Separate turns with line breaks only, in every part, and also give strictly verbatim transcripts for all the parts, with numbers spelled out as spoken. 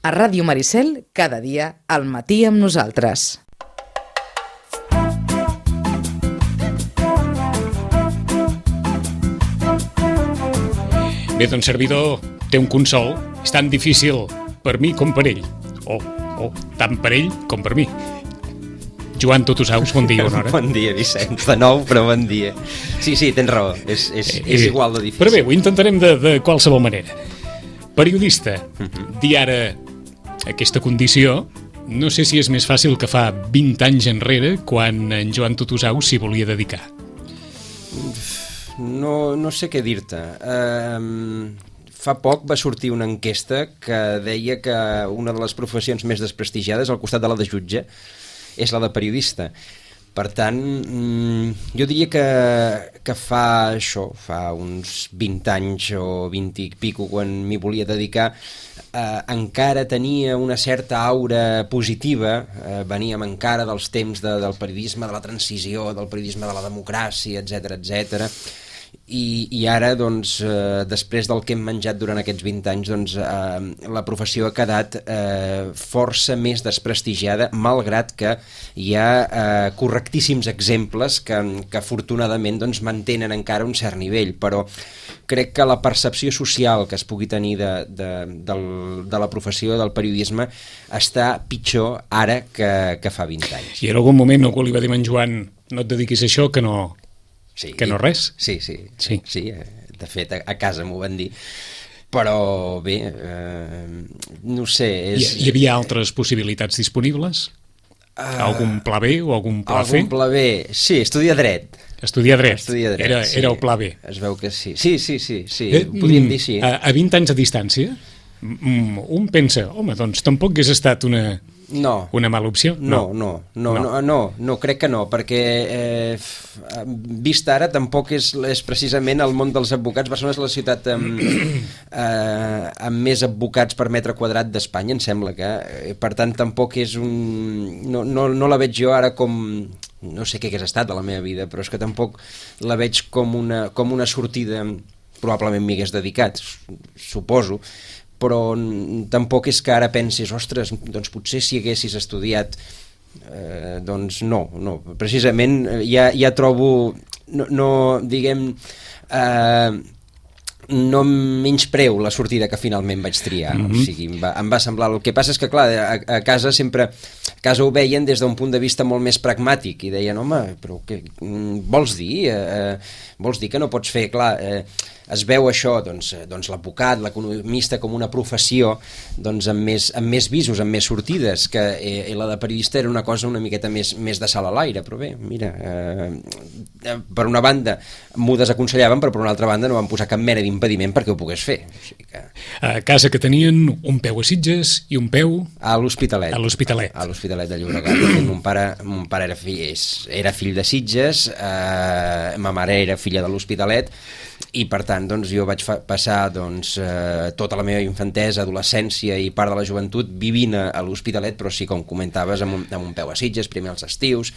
A Ràdio Maricel, cada dia, al matí amb nosaltres.
Bé, doncs, servidor, té un consol. És tan difícil per mi com per ell. O, o tant per ell com per mi. Joan Tutusaus, bon dia, una hora.
Bon dia, Vicenç, de nou, però bon dia. Sí, sí, tens raó, és, és, eh, és igual de difícil.
Però bé, ho intentarem de, de qualsevol manera. Periodista, uh-huh. Dir ara aquesta condició, no sé si és més fàcil que fa vint anys enrere, quan en Joan Tutusaus s'hi volia dedicar.
No, no sé què dir-te. Uh, fa poc va sortir una enquesta que deia que una de les professions més desprestigiades, al costat de la de jutge, és la de periodista. Per tant, jo diria que, que fa això, fa uns vint anys o vint i pico, quan m'hi volia dedicar, eh, encara tenia una certa aura positiva, eh, veníem encara dels temps de, del periodisme, de la transició, del periodisme de la democràcia, etcètera, etcètera. I, i ara, doncs, eh, després del que hem menjat durant aquests vint anys, doncs, eh, la professió ha quedat eh, força més desprestigiada, malgrat que hi ha eh, correctíssims exemples que, que afortunadament doncs, mantenen encara un cert nivell, però crec que la percepció social que es pugui tenir de, de, del, de la professió del periodisme està pitjor ara que, que fa vint anys.
I en algun moment algú li va dir a en Joan, no et dediquis a això, que no...
Sí,
que no res?
Sí, sí, sí, sí, de fet a, a casa m'ho van dir, però bé, eh, no sé... És...
Hi, hi havia altres possibilitats disponibles? Uh, algun pla B o algun pla
algun
C?
Algun pla B, sí, estudiar dret.
Estudiar dret,
estudiar dret
era,
sí.
Era el pla B.
Es veu que sí, sí, sí, sí, sí.
Eh,
podríem dir sí.
A, a vint anys de distància, un pensa, home, doncs tampoc hagués estat una...
No.
Una mala opció?
No, no, no, no, no, no, no crec que no, perquè eh, vist ara tampoc és, és precisament el món dels advocats. Barcelona és la ciutat amb, eh, amb més advocats per metre quadrat d'Espanya, em sembla que, eh, per tant tampoc és un... No, no, no la veig jo ara com... No sé què hagués estat a la meva vida, però és que tampoc la veig com una, com una sortida, probablement m'hi hagués dedicat, suposo, però tampoc és que ara pensis, ostres, doncs potser si haguessis estudiat, eh, doncs no, no, precisament ja, ja trobo, no, no diguem, eh, no menyspreu la sortida que finalment vaig triar, mm-hmm. O sigui, em va, em va semblar, el que passa és que clar, a, a casa sempre, a casa ho veien des d'un punt de vista molt més pragmàtic i deien, home, però què vols dir? Eh, vols dir que no pots fer, clar, eh, es veu això, doncs, doncs l'advocat, l'economista com una professió doncs amb més, amb més visos, amb més sortides, que eh, la de periodista era una cosa una miqueta més, més de sal a l'aire, però bé, mira, eh, per una banda m'ho desaconsellaven, però per una altra banda no van posar cap mena d'impediment perquè ho pogués fer. O sigui que...
A casa que tenien un peu a Sitges i un peu...
A l'Hospitalet.
A l'Hospitalet.
A l'Hospitalet de Llobregat. Mon pare, mon pare era, fill, era fill de Sitges, eh, ma mare era filla de l'Hospitalet, i per tant doncs, jo vaig fa- passar doncs, eh, tota la meva infantesa, adolescència i part de la joventut vivint a, a l'Hospitalet, però sí, com comentaves, amb un, amb un peu a Sitges, primer als estius,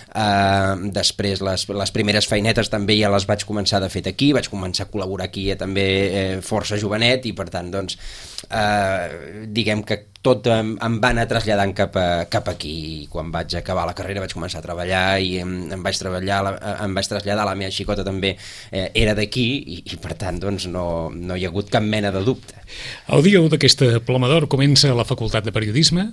eh, després les, les primeres feinetes també ja les vaig començar de fet aquí, vaig començar a col·laborar aquí eh, també eh, força jovenet, i per tant doncs, eh, diguem que tot em, em va anar traslladant cap, a, cap aquí, i quan vaig acabar la carrera vaig començar a treballar i em, em vaig treballar, em vaig traslladar, la meva xicota també eh, era d'aquí, i, i per tant doncs no, no hi ha hagut cap mena de dubte.
El dia u d'aquesta Ploma d'Or comença la Facultat de Periodisme?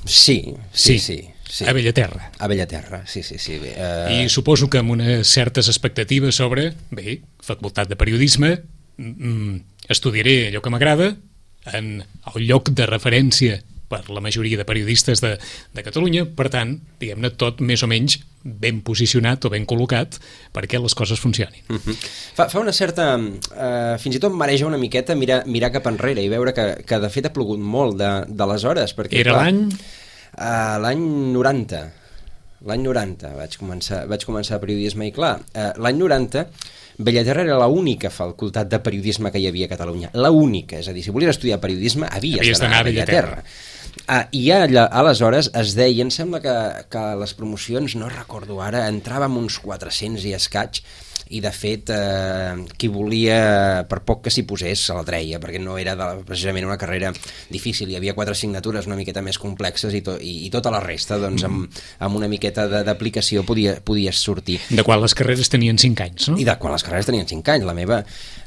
Sí, sí, sí, sí, sí.
A Bellaterra.
A Bellaterra, sí, sí, sí. Bé, uh...
I suposo que amb unes certes expectatives sobre, bé, Facultat de Periodisme, mm, estudiaré allò que m'agrada en el lloc de referència per la majoria de periodistes de, de Catalunya, per tant, diguem-ne, tot més o menys ben posicionat o ben col·locat perquè les coses funcionin.
Uh-huh. Fa, fa una certa... Eh, fins i tot mareja una miqueta mirar, mirar cap enrere i veure que, que de fet ha plogut molt de, d'aleshores. Perquè,
Era
clar,
l'any?
Uh, l'any noranta. L'any noranta vaig començar, vaig començar periodisme i clar, uh, l'any noranta Bellaterra era l'única facultat de periodisme que hi havia a Catalunya, l'única, és a dir, si volies estudiar periodisme havies, havies d'anar a Bellaterra. Ah, I allà, aleshores es deia, em sembla que, que les promocions, no recordo ara, entràvem uns quatre-cents i escaig, i de fet eh, qui volia, per poc que s'hi posés, se la treia, perquè no era de, precisament una carrera difícil, hi havia quatre assignatures una miqueta més complexes i, to, i, i tota la resta doncs, amb, amb una miqueta d'aplicació podia, podies sortir.
De quan les carreres tenien cinc anys, no?
I de quan les carreres tenien cinc anys, la meva...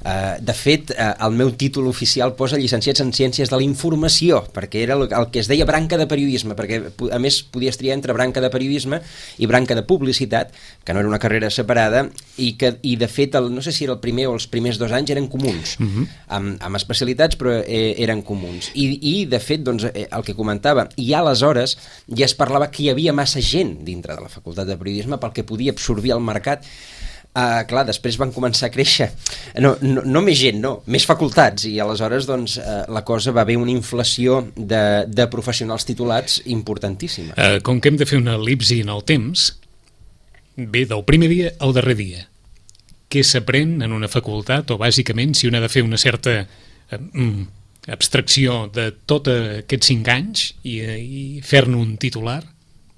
Eh, de fet, eh, el meu títol oficial posa llicenciats en Ciències de la Informació, perquè era el, el que es deia branca de periodisme, perquè a més podies triar entre branca de periodisme i branca de publicitat, que no era una carrera separada, i que i de fet, el, no sé si era el primer o els primers dos anys eren comuns, uh -huh. amb, amb especialitats, però eh, eren comuns. I, i de fet, doncs, eh, el que comentava, i aleshores ja es parlava que hi havia massa gent dintre de la Facultat de Periodisme pel que podia absorbir el mercat. Uh, clar, després van començar a créixer no, no, no més gent, no, més facultats, i aleshores doncs, uh, la cosa va haver una inflació de, de professionals titulats importantíssima.
Uh, com que hem de fer una elipsi en el temps, bé, del primer dia al darrer dia, què s'aprèn en una facultat, o bàsicament si un ha de fer una certa uh, abstracció de tots aquests cinc anys i, i fer-ne un titular,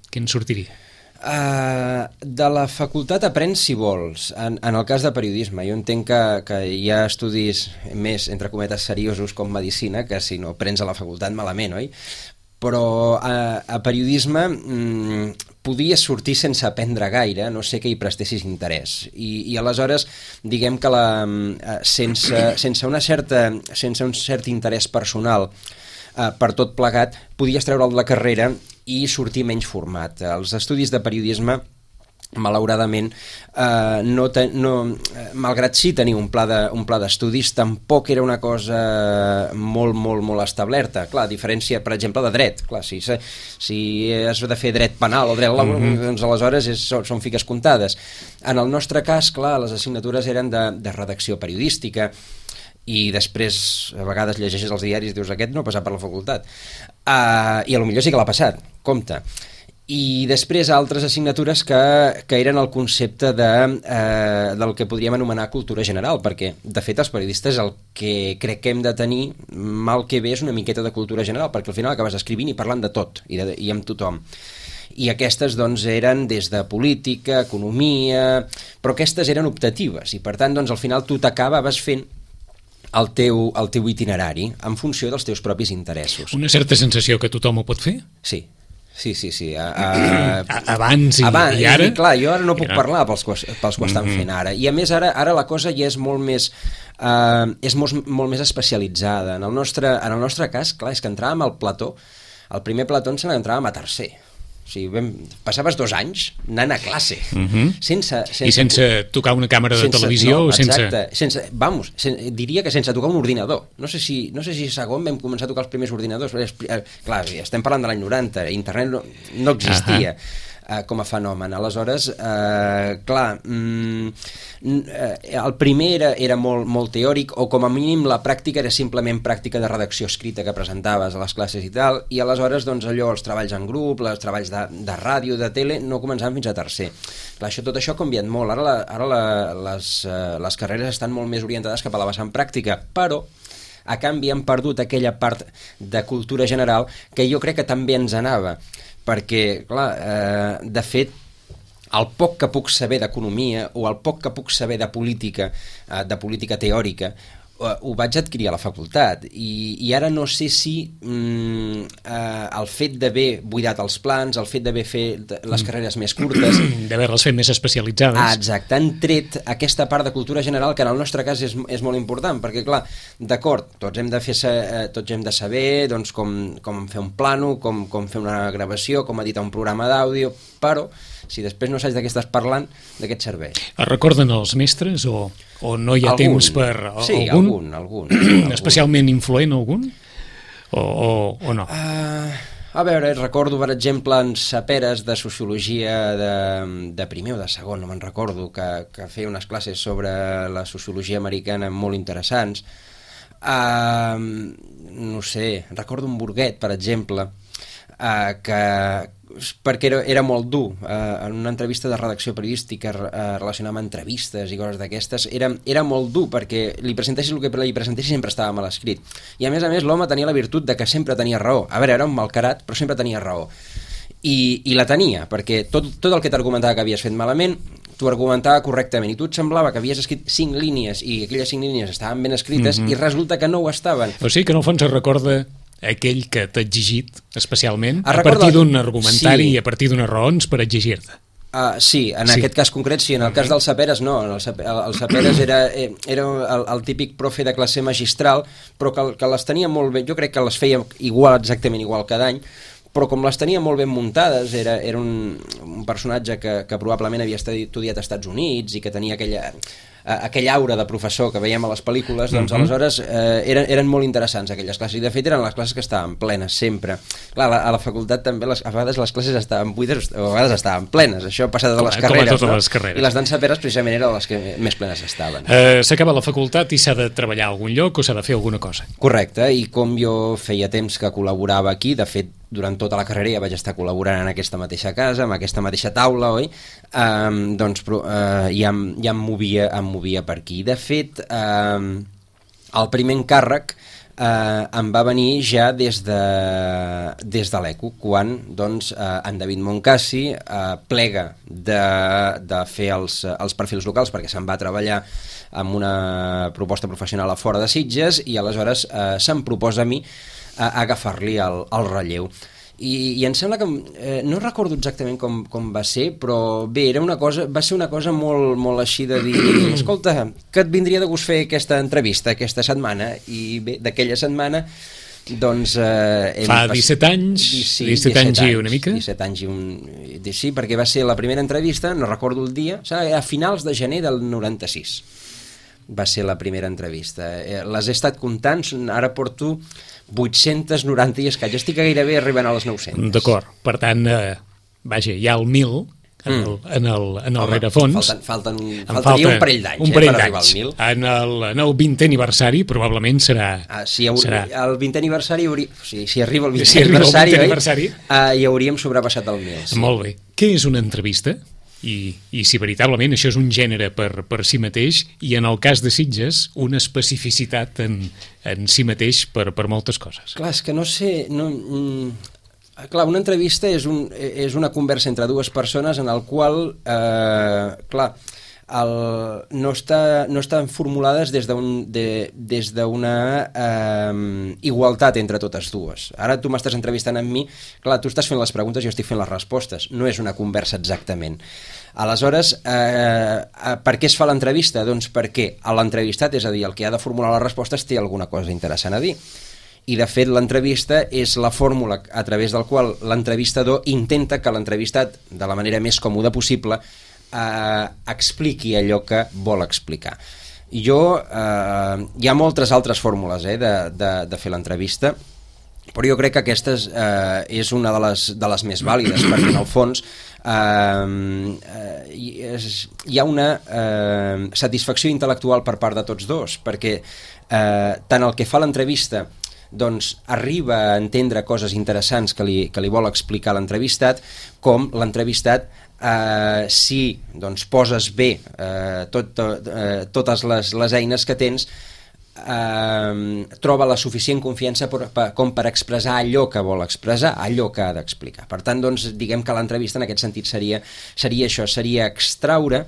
què en sortiria?
Uh, de la facultat aprens si vols, en, en el cas de periodisme. Jo entenc que, que hi ha estudis més, entre cometes, seriosos com medicina, que si no aprens a la facultat malament, oi? Però a, a periodisme mmm, podies sortir sense aprendre gaire, no sé que hi prestessis interès. I, i aleshores, diguem que la, sense, sense, una certa, sense un cert interès personal uh, per tot plegat, podies treure'l de la carrera i sortir menys format. Els estudis de periodisme, malauradament, eh, no te, no, malgrat sí tenir un pla de, un pla d'estudis, tampoc era una cosa molt, molt, molt establerta. Clar, a diferència, per exemple, de dret. Clar, si, si has de fer dret penal o dret laboral, mm-hmm. doncs aleshores és, són, són fiques comptades. En el nostre cas, clar, les assignatures eren de, de redacció periodística, i després a vegades llegeixes els diaris i dius aquest no ha passat per la facultat, uh, i a lo millor sí que l'ha passat, compte. I després altres assignatures que, que eren el concepte de, eh, del que podríem anomenar cultura general, perquè de fet els periodistes el que crec que hem de tenir mal que bé és una miqueta de cultura general, perquè al final acabes escrivint i parlant de tot i, de, i amb tothom. I aquestes doncs eren des de política, economia, però aquestes eren optatives i per tant doncs al final tu t'acabaves fent el teu, el teu itinerari en funció dels teus propis interessos.
Una certa sensació que tothom ho pot fer?
Sí, sí, sí. sí. A, a,
abans i,
abans,
i ara?
I, clar, jo ara no puc era... parlar pels, pels que ho estan fent ara. I a més ara, ara la cosa ja és molt més, uh, és molt, molt més especialitzada. En el, nostre, en el nostre cas, clar, és que entràvem al plató, al primer plató ens n'entràvem a tercer. O sigui, vam, passaves dos anys anant a classe. Uh-huh. sense, sense,
I sense tocar una càmera de
sense,
televisió?
No,
o sense...
exacte. Sense, vamos, sen, diria que sense tocar un ordinador. No sé si, no sé si segon vam començar a tocar els primers ordinadors. Clar, estem parlant de l'any noranta, internet no, no existia. Uh-huh. Uh, com a fenomen. Aleshores, uh, clar, mm, uh, el primer era, era molt, molt teòric, o com a mínim la pràctica era simplement pràctica de redacció escrita que presentaves a les classes i tal, i aleshores doncs allò, els treballs en grup, els treballs de, de ràdio, de tele, no començaven fins a tercer. Clar, això, tot això ha canviat molt. Ara, la, ara la, les, uh, les carreres estan molt més orientades cap a la vessant pràctica, però a canvi han perdut aquella part de cultura general que jo crec que també ens anava, perquè, clar, eh, de fet, el poc que puc saber d'economia o el poc que puc saber de política, eh, de política teòrica, eh, ho vaig adquirir a la facultat i, i ara no sé si mm, eh, el fet d'haver buidat els plans, el fet d'haver fet les carreres més curtes,
d'haver-les fet més especialitzades.
Ah, exacte, han tret aquesta part de cultura general que en el nostre cas és, és molt important, perquè clar, d'acord, tots hem de fer eh, tots hem de saber doncs, com, com fer un plano, com, com fer una gravació, com editar un programa d'àudio, però si després no saps de què estàs parlant, de què et serveix?
Es recorden els mestres o, o no hi ha
algun.
temps per... O,
sí,
algun?
algun, algun.
Especialment influent algun? O, o, o no?
Uh, a veure, recordo, per exemple, en Saperes de Sociologia de, de primer o de segon, no me'n recordo, que, que feia unes classes sobre la sociologia americana molt interessants. Uh, no sé, recordo un Burguet, per exemple, uh, que... perquè era, era molt dur, eh, en una entrevista de redacció periodística eh, relacionada amb entrevistes i coses d'aquestes, era, era molt dur perquè li presentessis el que li presentessis sempre estava mal escrit, i a més a més l'home tenia la virtut de que sempre tenia raó. A veure, era un malcarat però sempre tenia raó, i, i la tenia, perquè tot, tot el que t'argumentava que havies fet malament t'ho argumentava correctament, i tu et semblava que havies escrit cinc línies i aquelles cinc línies estaven ben escrites, mm-hmm. i resulta que no ho estaven.
O sigui que en el fons es recorda aquell que t'ha exigit especialment
es
a partir d'un argumentari sí. i a partir d'unes raons per exigir-te.
Uh, sí, en sí. aquest cas concret sí, en el cas del Saperes no, el, el Saperes era, era el, el típic profe de classe magistral, però que, que les tenia molt bé, jo crec que les feia igual, exactament igual cada any, però com les tenia molt ben muntades, era, era un, un personatge que, que probablement havia estudiat als Estats Units i que tenia aquella, aquell aura de professor que veiem a les pel·lícules, doncs mm-hmm. aleshores eh, eren, eren molt interessants aquelles classes, i de fet eren les classes que estaven plenes sempre. Clar, a la, a la facultat també les, a vegades les classes estaven buides o a vegades estaven plenes, això ha passat a les com carreres,
no?
les carreres, i les d'en Saperes precisament eren les que més plenes estaven.
Eh, S'acaba la facultat i s'ha de treballar a algun lloc o s'ha de fer alguna cosa?
Correcte, i com jo feia temps que col·laborava aquí, de fet durant tota la carrera ja vaig estar col·laborant en aquesta mateixa casa, en aquesta mateixa taula, oi? Um, doncs uh, ja, ja em, movia, em movia per aquí. De fet, um, el primer encàrrec uh, em va venir ja des de, des de l'E C U, quan doncs, uh, en David Moncasi uh, plega de, de fer els, els perfils locals, perquè se'n va treballar amb una proposta professional a fora de Sitges, i aleshores uh, se'm proposa a mi a agafar-li el, el relleu. I, i em sembla que, eh, no recordo exactament com, com va ser, però bé, era una cosa, va ser una cosa molt, molt així de dir, escolta, que et vindria de gust fer aquesta entrevista aquesta setmana? I bé, d'aquella setmana doncs... Eh,
Fa disset anys,
sí,
disset anys i una mica?
disset anys i un... Sí, perquè va ser la primera entrevista, no recordo el dia, a finals de gener del noranta-sis. Va ser la primera entrevista. Les he estat comptant, ara porto vuit-cents noranta i escaig, estic gairebé arribant a les nou-centes.
D'acord, per tant, eh, vaja, hi ha el mil en el, mm. en el, en el Home, rerefons.
Falten, falten, faltaria falta un parell d'anys eh, per arribar al mil.
En el, en el vintè aniversari probablement serà...
Ah, si haur, serà... El vintè aniversari, hauria, o sigui, si arriba el vintè
si
aniversari,
el aniversari
oi, uh, hi hauríem sobrepassat el mil. Sí.
Molt bé. Què és una entrevista? I, i si veritablement això és un gènere per, per si mateix, i en el cas de Sitges una especificitat en, en si mateix per, per moltes coses.
Clar, és que no sé... No, mm, clar, una entrevista és, un, és una conversa entre dues persones en el qual, eh, clar, el, no, està, no estan formulades des d'una de, des d'una eh, igualtat entre totes dues. Ara tu m'estàs entrevistant amb mi, clar, tu estàs fent les preguntes, jo estic fent les respostes, no és una conversa exactament. Aleshores, eh, per què es fa l'entrevista? Doncs perquè l'entrevistat, és a dir, el que ha de formular les respostes, té alguna cosa interessant a dir. I de fet l'entrevista és la fórmula a través del qual l'entrevistador intenta que l'entrevistat, de la manera més còmoda possible, eh, expliqui allò que vol explicar. Jo, eh, hi ha moltes altres fórmules eh, de, de, de fer l'entrevista, però jo crec que aquesta és, eh, és una de les, de les més vàlides, perquè en el fons eh, eh, hi ha una eh, satisfacció intel·lectual per part de tots dos, perquè eh, tant el que fa l'entrevista doncs arriba a entendre coses interessants que li, que li vol explicar l'entrevistat, com l'entrevistat eh, si doncs, poses bé eh, tot, eh, totes les, les eines que tens, eh, troba la suficient confiança per, per, com per expressar allò que vol expressar, allò que ha d'explicar. Per tant, doncs, diguem que l'entrevista en aquest sentit seria, seria això, seria extraure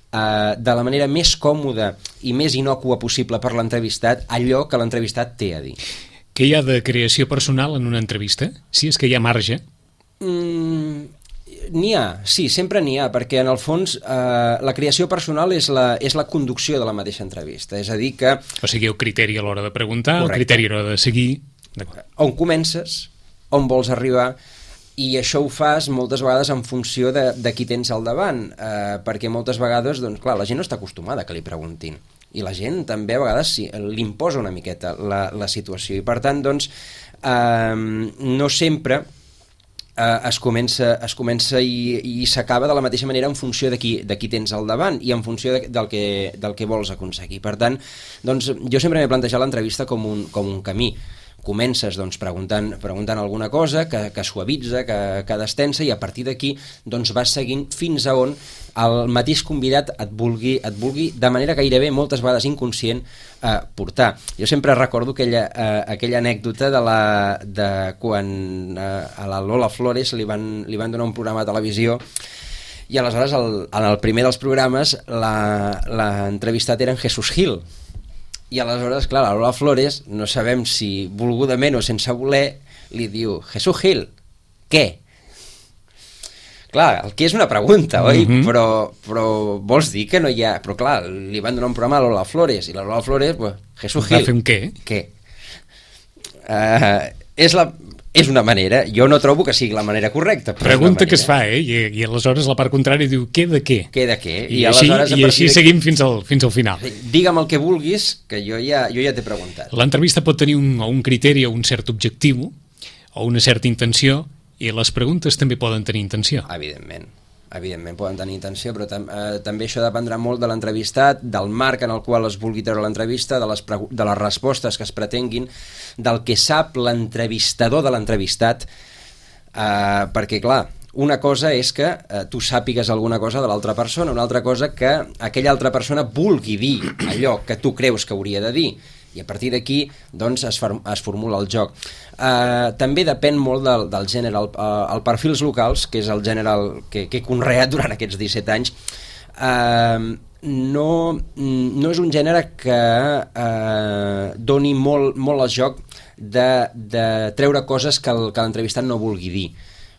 Uh, de la manera més còmoda i més innòcua possible per l'entrevistat allò que l'entrevistat té a dir.
Què hi ha de creació personal en una entrevista? Si és que hi ha marge?
Mm, n'hi ha, sí, sempre n'hi ha, perquè en el fons uh, la creació personal és la, és la conducció de la mateixa entrevista, és a dir que...
O sigui, el criteri a l'hora de preguntar, correcte, el criteri a l'hora de seguir...
On comences, on vols arribar... I això ho fas moltes vegades en funció de, de qui tens al davant, eh, perquè moltes vegades, doncs clar, la gent no està acostumada que li preguntin, i la gent també a vegades sí, li imposa una miqueta la, la situació, i per tant, doncs, eh, no sempre eh, es comença, es comença i, i s'acaba de la mateixa manera en funció de qui, de qui tens al davant i en funció de, del, que, del que vols aconseguir. Per tant, doncs, jo sempre m'he plantejat l'entrevista com un, com un camí. Comences doncs, preguntant, preguntant alguna cosa que, que suavitza, que, que destensa, i a partir d'aquí doncs, vas seguint fins a on el mateix convidat et vulgui, et vulgui de manera gairebé moltes vegades inconscient eh, portar. Jo sempre recordo aquella, eh, aquella anècdota de, la, de quan eh, a la Lola Flores li van, li van donar un programa de televisió I aleshores, el, en el primer dels programes, l'entrevistat era en Jesús Gil. I aleshores, clar, la Lola Flores, no sabem si volgudament o sense voler, li diu, Jesús Gil, què? Clar, el que és una pregunta, oi? Mm-hmm. Però, però vols dir que no hi ha... Però clar, li van donar un programa a Lola Flores, i la Lola Flores, pues, Jesús Gil...
Va fer un què?
Què? Uh, és la... És una manera, jo no trobo que sigui la manera correcta.
Pregunta que es fa, eh? I, i aleshores la part contrària diu, què de què?
Què de què?
I, I així, i així de... seguim fins al, fins al final.
Digue'm el que vulguis, que jo ja, jo ja t'he preguntat.
L'entrevista pot tenir un, un criteri o un cert objectiu, o una certa intenció, i les preguntes també poden tenir intenció.
Evidentment. Evidentment poden tenir intenció, però tam eh, també això dependrà molt de l'entrevistat, del marc en el qual es vulgui treure l'entrevista, de, les de les respostes que es pretenguin, del que sap l'entrevistador de l'entrevistat, eh, perquè clar, una cosa és que eh, tu sàpigues alguna cosa de l'altra persona, una altra cosa que aquella altra persona vulgui dir allò que tu creus que hauria de dir, i a partir d'aquí doncs, es, es formula el joc. Uh, també depèn molt del, del gènere. El, uh, el perfils locals, que és el gènere que, que he conreat durant aquests disset anys, uh, no, no és un gènere que uh, doni molt, molt al joc de, de treure coses que l'entrevistat no vulgui dir,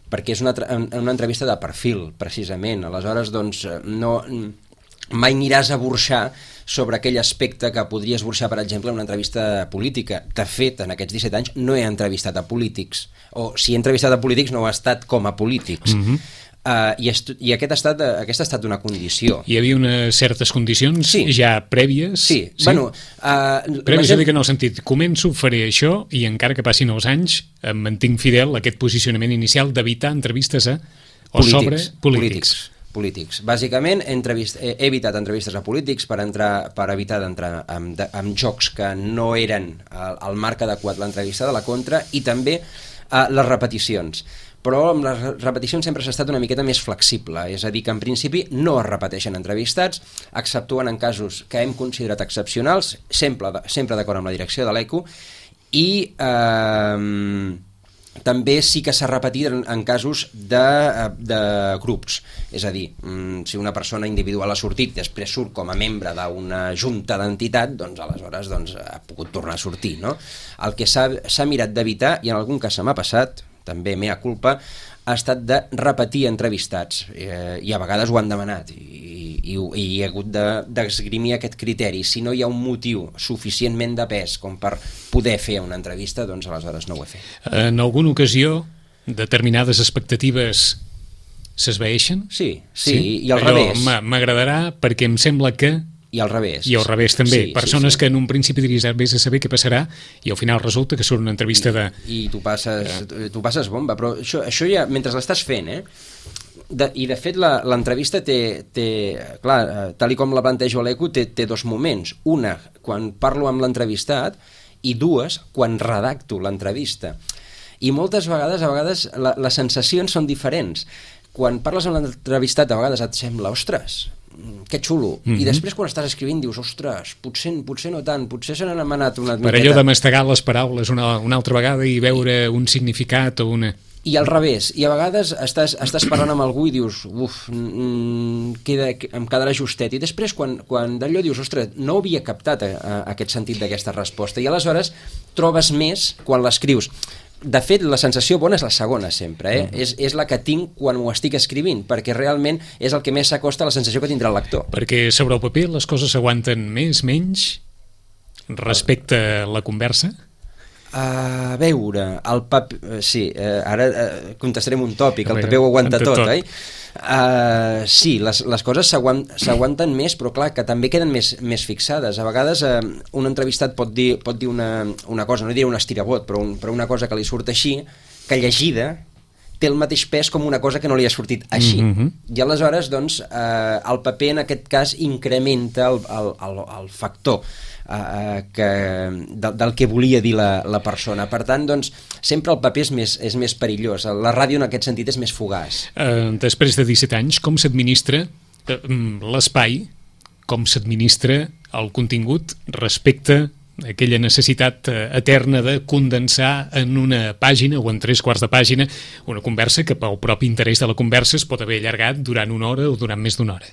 perquè és una, una entrevista de perfil, precisament. Aleshores, doncs, no, mai aniràs a burxar sobre aquell aspecte que podries burxar, per exemple, en una entrevista política. De fet, en aquests disset anys no he entrevistat a polítics, o si he entrevistat a polítics no ho ha estat com a polítics. Mm-hmm. uh, i, i aquest ha estat, aquesta ha estat una condició.
Hi havia unes certes condicions
sí.
ja prèvies?
Sí, sí? Bueno, uh,
prèvies, gent... que en el sentit, començo, faré això, i encara que passin els anys, em mantinc fidel a aquest posicionament inicial d'evitar entrevistes a o
polítics,
sobre polítics.
polítics. polítics. Bàsicament he, he evitat entrevistes a polítics per, entrar, per evitar d'entrar amb, amb jocs que no eren el, el marc adequat l'entrevista de la contra, i també uh, les repeticions. Però amb les repeticions sempre s'ha estat una miqueta més flexible, és a dir, que en principi no es repeteixen entrevistats, exceptuant en casos que hem considerat excepcionals, sempre, sempre d'acord amb la direcció de l'E C U, i eh, també sí que s'ha repetit en, en casos de, de grups, és a dir, si una persona individual ha sortit, després surt com a membre d'una junta d'entitat, doncs aleshores doncs, ha pogut tornar a sortir, no? El que s'ha mirat d'evitar, i en algun cas se m'ha passat, també mea culpa, ha estat de repetir entrevistats, eh, i a vegades ho han demanat, i, i, i he hagut d'esgrimir de, aquest criteri. Si no hi ha un motiu suficientment de pes com per poder fer una entrevista, doncs aleshores no ho he fet.
En alguna ocasió, determinades expectatives s'esvaeixen?
Sí, sí, sí, i al
allò
revés.
M'agradarà perquè em sembla que...
I al revés.
I al revés també.
Sí,
Persones
sí, sí.
que en un principi diries vés a saber què passarà i al final resulta que surt una entrevista
I,
de...
I tu passes, eh. tu passes bomba, però això, això ja, mentre l'estàs fent, eh? De, I de fet l'entrevista té, té, clar, tal i com la plantejo a l'E C U, té, té dos moments. Una, quan parlo amb l'entrevistat, i dues, quan redacto l'entrevista. I moltes vegades, a vegades, la, les sensacions són diferents. Quan parles amb l'entrevistat, a vegades et sembla, ostres, que xulo, mm-hmm. i després quan estàs escrivint dius, ostres, potser, potser no tant, potser se n'han demanat una miqueta.
Per allò de mastegar les paraules una, una altra vegada i veure un significat o una...
I al revés, i a vegades estàs, estàs parlant amb algú i dius, uf, mm, queda, em quedarà justet, i després quan, quan d'allò dius, ostres, no havia captat a, a aquest sentit d'aquesta resposta, i aleshores trobes més quan l'escrius. De fet, la sensació bona és la segona sempre, eh? Mm. és, és la que tinc quan ho estic escrivint, perquè realment és el que més s'acosta a la sensació que tindrà el lector.
Perquè sobre el paper les coses s'aguanten més, menys, respecte a la conversa?
A veure, el paper... Sí, eh, ara eh, contestarem un tòpic, el paper ho aguanta tot, tot, oi? Uh, sí, les, les coses s'aguanten més, però clar, que també queden més, més fixades. A vegades uh, un entrevistat pot dir, pot dir una, una cosa, no diré un estirabot, però, un, però una cosa que li surt així, que llegida té el mateix pes com una cosa que no li ha sortit així. Mm-hmm. I aleshores, doncs, uh, el paper en aquest cas incrementa el, el, el, el factor uh, que, de, del que volia dir la, la persona. Per tant, doncs, sempre el paper és més, és més perillós. La ràdio en aquest sentit és més fugaç.
Uh, després de disset anys, com s'administra uh, l'espai, com s'administra el contingut respecte aquella necessitat eterna de condensar en una pàgina o en tres quarts de pàgina una conversa que pel propi interès de la conversa es pot haver allargat durant una hora o durant més d'una hora.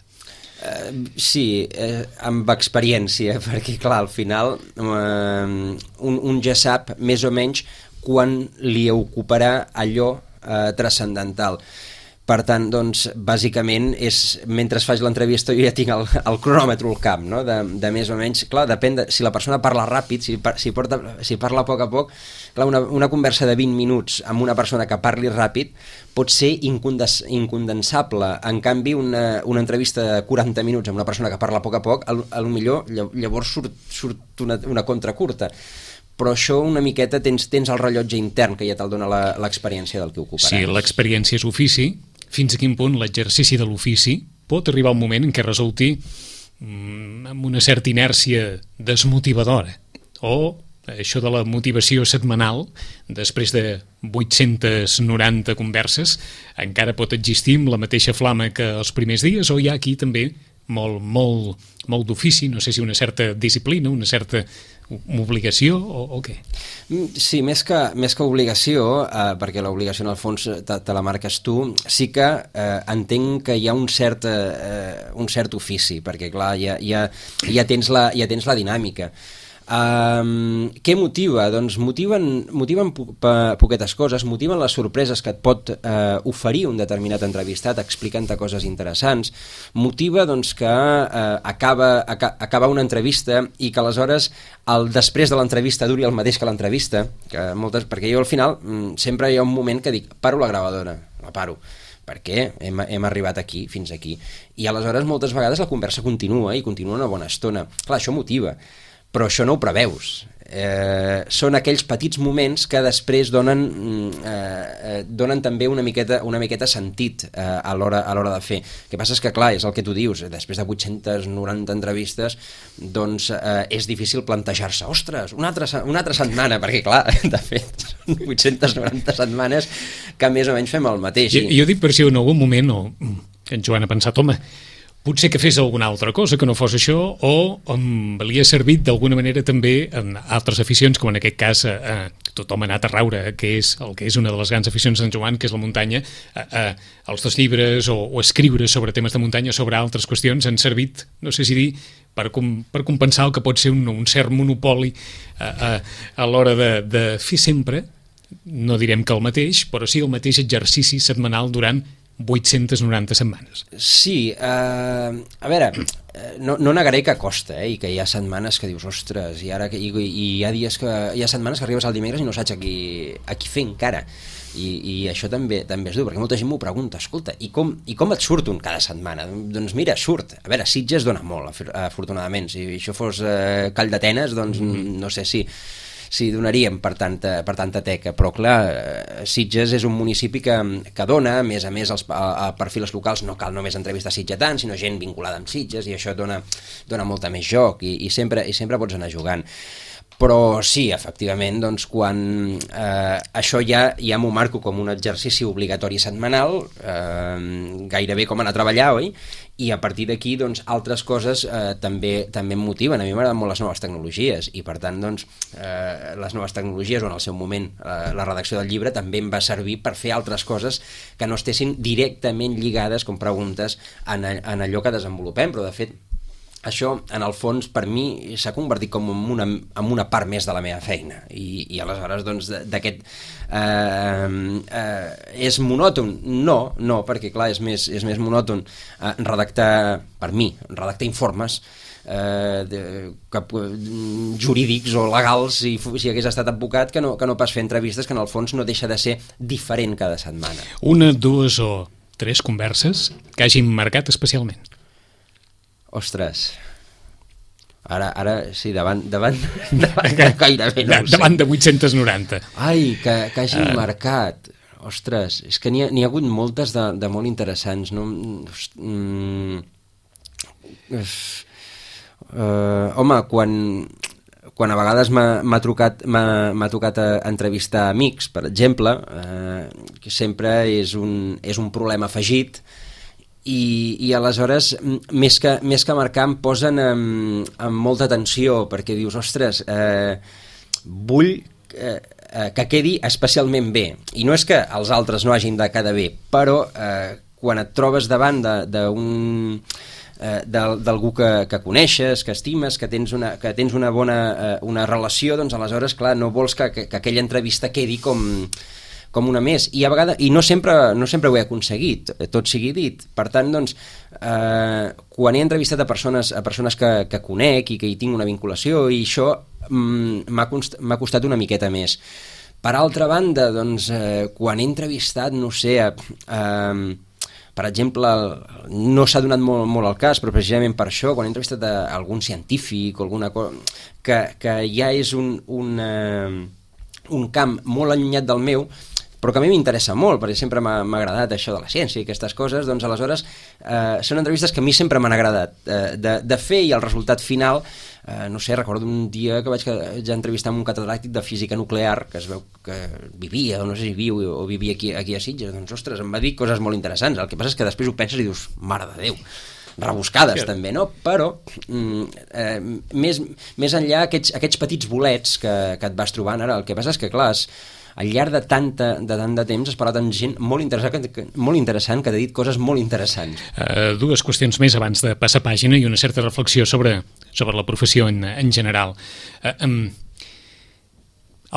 Uh, sí, uh, amb experiència, perquè clar, al final uh, un, un ja sap més o menys quan li ocuparà allò uh, transcendental. Per tant, doncs, bàsicament, és, mentre faig l'entrevista jo ja tinc el, el cronòmetre al cap, no? de, de més o menys, clar, depèn de si la persona parla ràpid, si, si, porta, si parla a poc a poc, clar, una, una conversa de vint minuts amb una persona que parli ràpid pot ser incondens, incondensable. En canvi, una, una entrevista de quaranta minuts amb una persona que parla a poc a poc, a, a lo millor llavors surt, surt una, una contra curta. Però això una miqueta tens, tens el rellotge intern que ja te'l dona l'experiència del que ocuparàs.
Sí, l'experiència és ofici. Fins a quin punt l'exercici de l'ofici pot arribar un moment en què resulti mm, amb una certa inèrcia desmotivadora, o això de la motivació setmanal després de vuit-centes noranta converses encara pot existir amb la mateixa flama que els primers dies, o hi ha aquí també molt, molt, molt d'ofici, no sé si una certa disciplina, una certa obligació o, o què?
Sí, més que, més que obligació, eh, perquè l'obligació en el fons te, te la marques tu, sí que eh, entenc que hi ha un cert, eh, un cert ofici, perquè clar, ja, ja, ja, tens, la, ja tens la dinàmica. Um, què motiva? Doncs motiven, motiven po poquetes coses, motiven les sorpreses que et pot uh, oferir un determinat entrevistat explicant-te coses interessants, motiva doncs, que uh, acaba, aca acaba una entrevista i que aleshores el després de l'entrevista duri el mateix que l'entrevista, que moltes, perquè jo al final mm, sempre hi ha un moment que dic, paro la gravadora, la paro, perquè hem, hem arribat aquí, fins aquí, i aleshores moltes vegades la conversa continua i continua una bona estona. Clar, això motiva, però això no ho preveus. Eh, són aquells petits moments que després donen, eh, donen també una miqueta, una miqueta sentit eh, a l'hora a l'hora de fer. El que passa és que, clar, és el que tu dius, després de vuit-centes noranta entrevistes, doncs eh, és difícil plantejar-se, ostres, una altra, una altra setmana, perquè, clar, de fet, són vuit-centes noranta setmanes que més o menys fem el mateix.
Jo, jo dic per si en algun moment, o en Joan ha pensat, home, potser que fes alguna altra cosa que no fos això, o um, li ha servit d'alguna manera també en altres aficions, com en aquest cas eh, tothom ha anat a raure, que és el que és una de les grans aficions d'en Joan, que és la muntanya. Eh, eh, els dos llibres o, o escriure sobre temes de muntanya, sobre altres qüestions, han servit, no sé si dir, per, com, per compensar el que pot ser un, un cert monopoli eh, eh, a l'hora de, de fer sempre, no direm que el mateix, però sí el mateix exercici setmanal durant vuit-centes noranta setmanes.
Sí, eh, a veure, no, no negaré que costa, eh, i que hi ha setmanes que dius, ostres, i ara que, i, i hi ha dies que hi ha setmanes que arribes al dimecres i no saps a qui, a qui fer encara. I, i això també també és dur, perquè molta gent m'ho pregunta, escolta, i com, i com et surt un cada setmana? Doncs mira, surt. A veure, Sitges dona molt, afortunadament. Si això fos eh, Call d'Atenes, doncs mm-hmm. no sé si... sí, donaríem per tanta, per tanta teca, però clar, Sitges és un municipi que, que dona, a més a més als, a, a perfils locals no cal només entrevistar sitgetans, sinó gent vinculada amb Sitges, i això dona, dona molta més joc, i, i, sempre, i sempre pots anar jugant. Però sí, efectivament, doncs, quan eh, això ja, ja m'ho marco com un exercici obligatori setmanal, eh, gairebé com anar a treballar, oi? I a partir d'aquí, doncs, altres coses eh, també, també em motiven. A mi m'agraden molt les noves tecnologies, i per tant, doncs, eh, les noves tecnologies, o en el seu moment eh, la redacció del llibre, també em va servir per fer altres coses que no estessin directament lligades, com preguntes, en, en allò que desenvolupem, però de fet això, en el fons, per mi s'ha convertit com en una, en una part més de la meva feina, i, i aleshores doncs d'aquest eh, eh, és monòton? No, no, perquè clar, és més, és més monòton eh, redactar, per mi, redactar informes eh, de, que, jurídics o legals, si, si hagués estat advocat, que no, que no pas fer entrevistes, que en el fons no deixa de ser diferent cada setmana.
Una, dues o tres converses que hagin marcat especialment?
Ostres, ara, ara sí, davant, davant, davant de gairebé no ho sé.
Davant de vuit-centes noranta.
Ai, que, que hagin uh... marcat. Ostres, és que n'hi ha, n'hi ha hagut moltes de, de molt interessants, no? Mm, uh, home, quan, quan a vegades m'ha trucat, m'ha tocat a entrevistar amics, per exemple, eh, que sempre és un, és un problema afegit, i, i aleshores més que, més que marcar em posen amb, amb molta tensió perquè dius, ostres, eh, vull eh, que quedi especialment bé, i no és que els altres no hagin de quedar bé, però eh, quan et trobes davant d'un eh, d'algú que, que coneixes, que estimes, que tens una, que tens una bona eh, una relació, doncs aleshores clar, no vols que, que, que aquella entrevista quedi com com una més, i a vegades, i no sempre, no sempre ho he aconseguit, tot sigui dit. Per tant, doncs, eh, quan he entrevistat a persones, a persones que, que conec i que hi tinc una vinculació, i això mm, m'ha cost, m'ha costat una miqueta més. Per altra banda, doncs, eh, quan he entrevistat, no sé, eh, per exemple, no s'ha donat molt, molt el cas, però precisament per això, quan he entrevistat a algun científic o alguna cosa, que, que ja és un, un, eh, un camp molt allunyat del meu, però que a mi m'interessa molt, perquè sempre m'ha agradat això de la ciència i aquestes coses, doncs aleshores eh, són entrevistes que a mi sempre m'han agradat eh, de, de fer, i el resultat final, eh, no sé, recordo un dia que vaig ja entrevistar amb un catedràtic de física nuclear, que es veu que vivia, o no sé si viu o vivia aquí, aquí a Sitges, doncs ostres, em va dir coses molt interessants, el que passa és que després ho penses i dius, mare de Déu, rebuscades sí. també, no? Però eh, més, més enllà aquests, aquests petits bolets que, que et vas trobant ara, el que passa és que clar, és, al llarg de, tanta, de tant de temps has parlat amb gent molt interessant, que, molt interessant que t'ha dit coses molt interessants.
Uh, dues qüestions més abans de passar pàgina i una certa reflexió sobre, sobre la professió en, en general. Uh, um,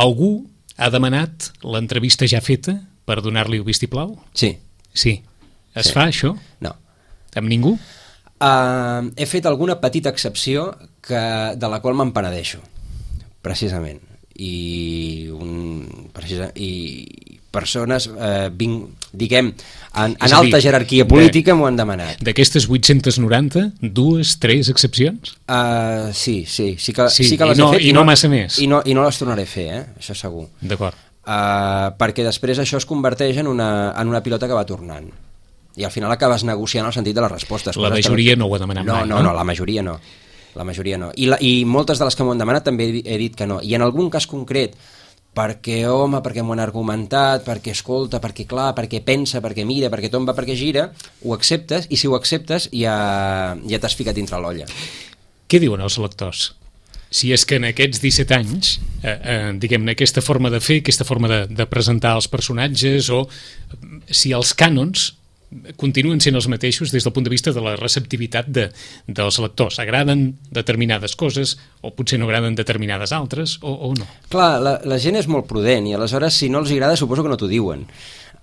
algú ha demanat l'entrevista ja feta per donar-li el vistiplau?
Sí.
Sí. Es
sí.
fa això?
No.
Amb ningú?
Uh, he fet alguna petita excepció que, de la qual me'n penedeixo, precisament. I, un, precisa, i persones eh, vinc, diguem en, en alta dir, jerarquia política m'ho han demanat.
D'aquestes vuit-cents noranta, dues, tres excepcions?
Uh, sí, sí, sí que,
sí,
sí que les
no,
he fet
i no, no massa més
i no, i no les tornaré a fer, eh? Això segur.
D'acord.
Uh, perquè després això es converteix en una, en una pilota que va tornant i al final acabes negociant el sentit de les respostes.
La majoria que... no ho ha demanat
no,
mai,
no? No, no, la majoria no. La majoria no. I, la, I moltes de les que m'ho han demanat també he, he dit que no. I en algun cas concret, perquè, home, perquè m'ho han argumentat, perquè escolta, perquè clar, perquè pensa, perquè mira, perquè tomba, perquè gira, ho acceptes, i si ho acceptes ja, ja t'has ficat dintre l'olla.
Què diuen els lectors? Si és que en aquests disset anys, eh, eh, diguem-ne, aquesta forma de fer, aquesta forma de, de presentar els personatges, o si els cànons continuen sent els mateixos des del punt de vista de la receptivitat de, dels lectors. Agraden determinades coses o potser no agraden determinades altres o, o no?
Clar, la, la gent és molt prudent i aleshores si no els agrada suposo que no t'ho diuen.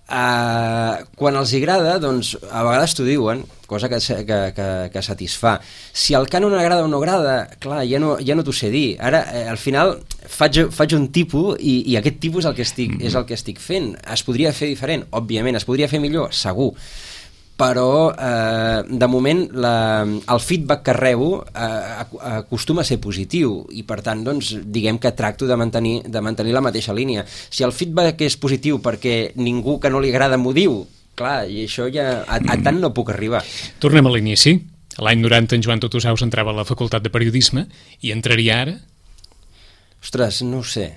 Uh, quan els agrada, doncs a vegades t'ho diuen, cosa que, que, que, que satisfà. Si el cànon agrada o no agrada, clar, ja no, ja no t'ho sé dir. Ara, eh, al final, faig, faig un tipus i, i aquest tipus és el, que estic, mm-hmm. és el que estic fent. Es podria fer diferent? Òbviament. Es podria fer millor? Segur. Però eh, de moment la, el feedback que rebo eh, acostuma a ser positiu i per tant doncs, diguem que tracto de mantenir, de mantenir la mateixa línia. Si el feedback és positiu perquè ningú que no li agrada m'ho diu, clar, i això ja a, a tant no puc arribar.
Tornem a l'inici. L'any noranta en Joan Totosaus entrava a la Facultat de Periodisme i entraria ara?
Ostres, no ho sé.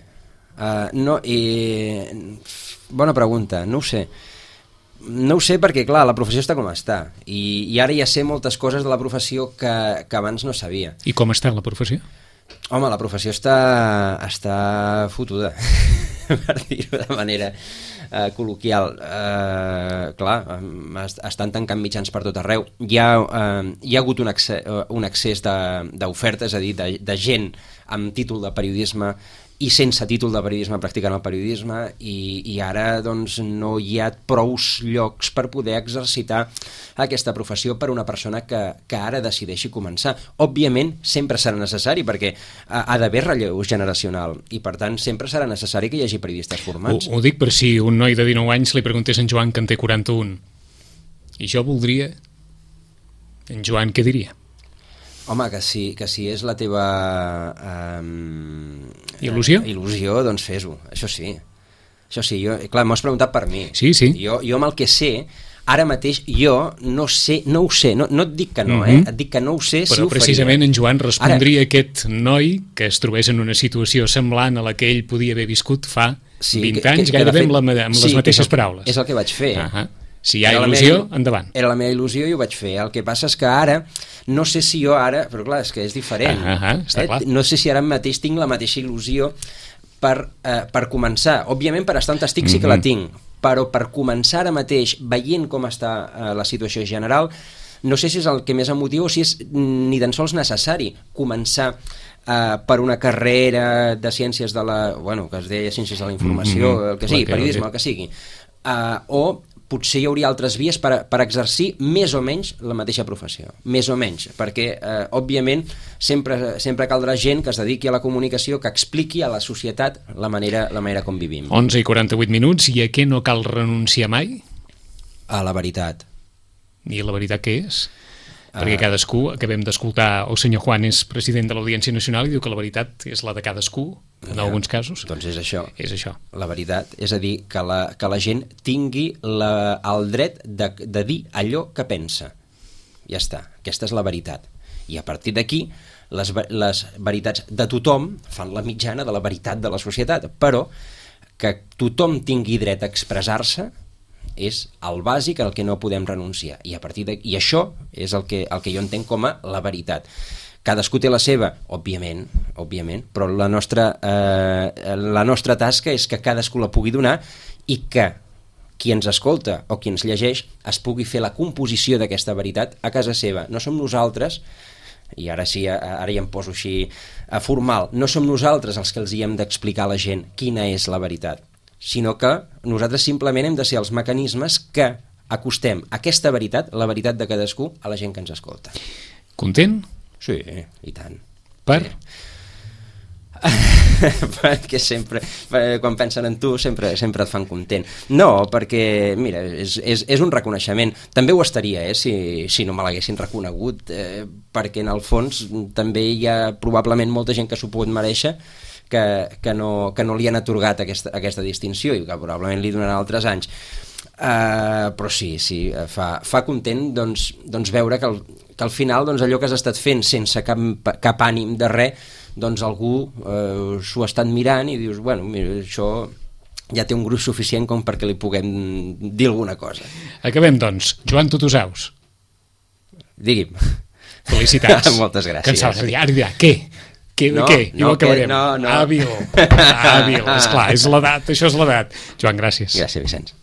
Uh, no, i... Bona pregunta, no ho sé. No ho sé perquè, clar, la professió està com està i, i ara ja sé moltes coses de la professió que, que abans no sabia.
I com està la professió?
Home, la professió està, està fotuda, per dir-ho de manera uh, col·loquial. Uh, clar, um, estan tancant mitjans per tot arreu. Hi ha, uh, hi ha hagut un accés, uh, un accés d'oferta, és a dir, de, de gent amb títol de periodisme i sense títol de periodisme practicant el periodisme i, i ara doncs, no hi ha prous llocs per poder exercitar aquesta professió per una persona que, que ara decideixi començar. Òbviament sempre serà necessari perquè ha, ha d'haver relleu generacional i per tant sempre serà necessari que hi hagi periodistes formats.
Ho, ho dic per si un noi de dinou anys li preguntés a en Joan que en té quaranta-un i jo voldria, en Joan què diria?
Home, que si, que si és la teva um,
il·lusió,
il·lusió doncs fes-ho, això sí. Això sí, jo, clar, m'ho has preguntat per mi.
Sí, sí.
Jo, jo amb el que sé, ara mateix jo no sé, no ho sé, no, no et dic que no,
mm-hmm.
eh? Et dic que no ho sé.
Però
si ho
precisament
faria.
En Joan respondria ara... aquest noi que es trobés en una situació semblant a la que ell podia haver viscut fa sí, vint que, anys, que, que gairebé fet... amb, la, amb sí, les mateixes
és el,
paraules.
És el que vaig fer.
Uh-huh. Si hi ha
era
il·lusió,
meva,
endavant.
Era la meva il·lusió i ho vaig fer. El que passa és que ara, no sé si jo ara, però clar, és que és diferent.
Ah, ah, està
eh?
clar.
No sé si ara mateix tinc la mateixa il·lusió per, eh, per començar. Òbviament, per estar on estic sí que la tinc, però per començar ara mateix, veient com està eh, la situació general, no sé si és el que més em motiva o si és ni tan sols necessari començar eh, per una carrera de ciències de la... Bueno, que es deia ciències de la informació, mm-hmm. el que sigui, periodisme, el que sigui. Uh, o potser hi hauria altres vies per, per exercir més o menys la mateixa professió, més o menys, perquè eh, òbviament sempre, sempre caldrà gent que es dediqui a la comunicació, que expliqui a la societat la manera, la manera com vivim.
onze i quaranta-vuit minuts, i a què no cal renunciar mai?
A la veritat.
I la veritat què és? Perquè cadascú, acabem d'escoltar, el senyor Juan és president de l'Audiència Nacional i diu que la veritat és la de cadascú, en ja, alguns casos.
Doncs és això.
És això.
La veritat, és a dir, que la, que la gent tingui la, el dret de, de dir allò que pensa. Ja està, aquesta és la veritat. I a partir d'aquí, les, les veritats de tothom fan la mitjana de la veritat de la societat, però que tothom tingui dret a expressar-se és el bàsic al que no podem renunciar, i a partir de... i això és el que, el que jo entenc com a la veritat. Cadascú té la seva, òbviament, òbviament, però la nostra, eh, la nostra tasca és que cadascú la pugui donar i que qui ens escolta o qui ens llegeix es pugui fer la composició d'aquesta veritat a casa seva. No som nosaltres, i ara sí, ara ja em poso així a formal, no som nosaltres els que els hi hem d'explicar a la gent quina és la veritat, sinó que nosaltres simplement hem de ser els mecanismes que acostem aquesta veritat, la veritat de cadascú, a la gent que ens escolta.
Content?
Sí, i tant.
Per?
Sí. Perquè sempre, quan pensen en tu, sempre, sempre et fan content. No, perquè, mira, és, és, és un reconeixement. També ho estaria, eh, si, si no me l'haguessin reconegut, eh, perquè en el fons també hi ha probablement molta gent que s'ho pot merèixer, que, que, no, que no li han atorgat aquesta, aquesta distinció i que probablement li donaran altres anys. Uh, però sí, sí, fa, fa content doncs, doncs veure que al, que al final doncs, allò que has estat fent sense cap, cap ànim de res, doncs algú uh, s'ho ha estat mirant i dius, bueno, mira, això ja té un gruix suficient com perquè li puguem dir alguna cosa.
Acabem, doncs. Joan Tutusaus.
Digui'm.
Felicitats.
Moltes gràcies.
Que em sap, ara dirà, què? Què,
no,
què? I
no,
ho acabarem.
Que, no, no.
Hàbil, hàbil, esclar, és l'edat, això és l'edat. Joan, gràcies.
Gràcies, Vicenç.